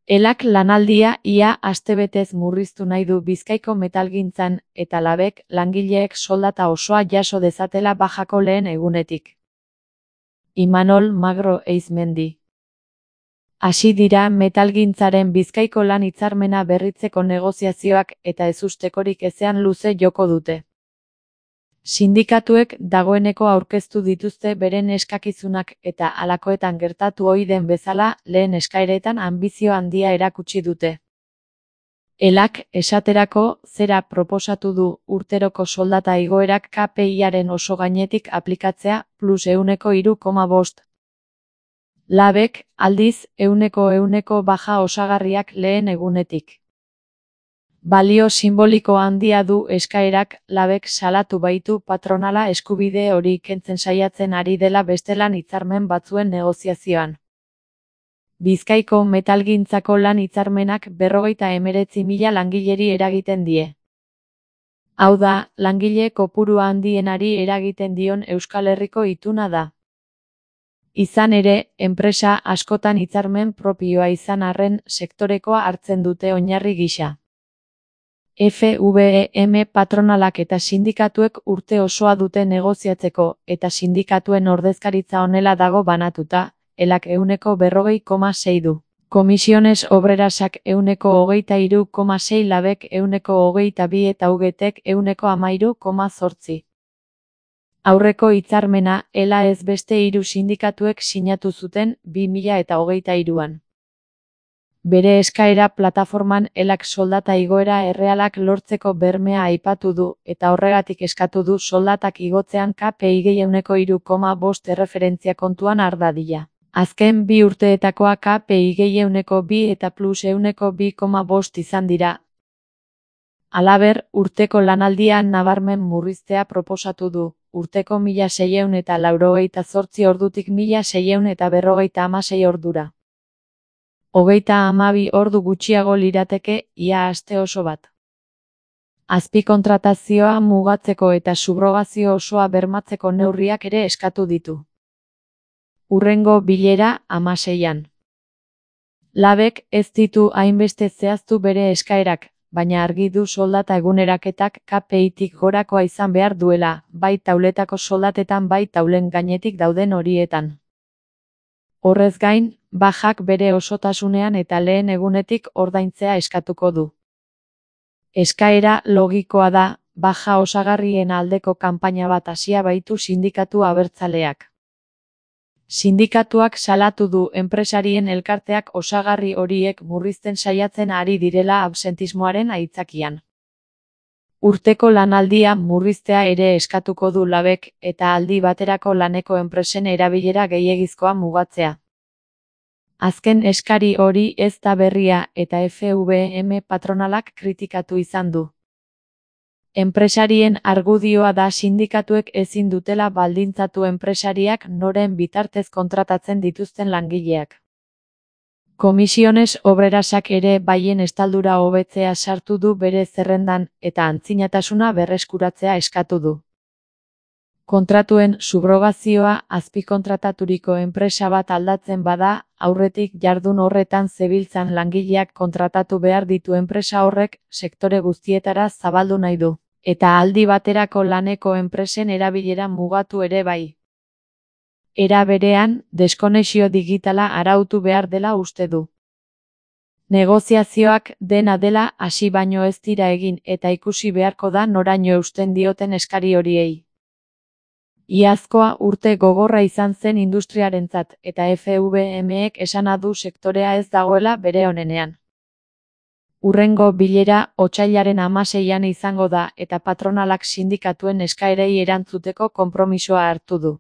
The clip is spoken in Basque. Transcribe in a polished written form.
Elak lanaldia ia astebetez murriztu nahi du Bizkaiko metalgintzan eta Labek langileek soldata osoa jaso dezatela bajako lehen egunetik. Imanol Magro Eizmendi. Hasi dira metalgintzaren Bizkaiko lan hitzarmena berritzeko negoziazioak eta ezustekorik ezean luze joko dute. Sindikatuek dagoeneko aurkeztu dituzte beren eskakizunak eta halakoetan gertatu ohi den bezala lehen eskaeretan anbizio handia erakutsi dute. Elak, esaterako, zera proposatu du urteroko soldata igoerak KPI-aren oso gainetik aplikatzea plus 3,5%. Labek, aldiz, 100% baja osagarriak lehen egunetik. Balio simboliko handia du eskaerak, Labek salatu baitu patronala eskubide hori kentzen saiatzen ari dela beste lan hitzarmen batzuen negoziazioan. Bizkaiko metalgintzako lan hitzarmenak 59.000 langileri eragiten die. Hau da, langile kopuru handienari eragiten dion Euskal Herriko ituna da. Izan ere, enpresa askotan hitzarmen propioa izan arren sektorekoa hartzen dute oinarri gisa. FVM patronalak eta sindikatuek urte osoa dute negoziatzeko eta sindikatuen ordezkaritza honela dago banatuta, Elak 40,6 du. Comisiones Obrerasak 23,6, Labek 22 eta UGTek 13,8. Aurreko hitzarmena, Ela ez beste 3 sindikatuek sinatu zuten 2023an. Bere eskaera plataforman Elak soldata igoera errealak lortzeko bermea aipatu du eta horregatik eskatu du soldatak igotzean KPI 3,5 erreferentzia kontuan har dadila. Azken 2 urteetakoa KPI 2 eta plus 2,5 izan dira. Halaber, urteko lanaldia nabarmen murriztea proposatu du, urteko 1.688 ordutik 1.656 ordura. 32 ordu gutxiago lirateke ia aste oso bat. Azpikontratazioa mugatzeko eta subrogazio osoa bermatzeko neurriak ere eskatu ditu. Hurrengo bilera 16an. Labek ez ditu hainbeste zehaztu bere eskaerak, baina argi du soldata eguneraketak KPI-tik gorakoa izan behar duela, bai tauletako soldatetan bai taulen gainetik dauden horietan. Horrez gain, bajak bere osotasunean eta lehen egunetik ordaintzea eskatuko du. Eskaera logikoa da, baja osagarrien aldeko kanpaina bat hasia baitu sindikatu abertzaleak. Sindikatuak salatu du enpresarien elkarteak osagarri horiek murrizten saiatzen ari direla absentismoaren aitzakian. Urteko lanaldia murriztea ere eskatuko du Labek eta aldi baterako laneko enpresen erabilera gehiegizkoa mugatzea. Azken eskari hori ez da berria eta FVM patronalak kritikatu izan du. Enpresarien argudioa da sindikatuek ezin dutela baldintzatu enpresariak noren bitartez kontratatzen dituzten langileak. Comisiones Obrerasak ere baien estaldura hobetzea sartu du bere zerrendan eta antzinatasuna berreskuratzea eskatu du. Kontratuen subrogazioa azpikontrataturiko enpresa bat aldatzen bada, aurretik jardun horretan zebiltzan langileak kontratatu behar ditu enpresa horrek sektore guztietara zabaldu nahi du, eta aldi baterako laneko enpresen erabilera mugatu ere bai. Era berean, deskonexio digitala arautu behar dela uste du. Negoziazioak dena dela hasi baino ez dira egin eta ikusi beharko da noraino eusten dioten eskari horiei. Iazkoa urte gogorra izan zen industriarentzat eta FVM-ek esana du sektorea ez dagoela bere onenean. Hurrengo bilera otsailaren 16an izango da eta patronalak sindikatuen eskaerei erantzuteko konpromisoa hartu du.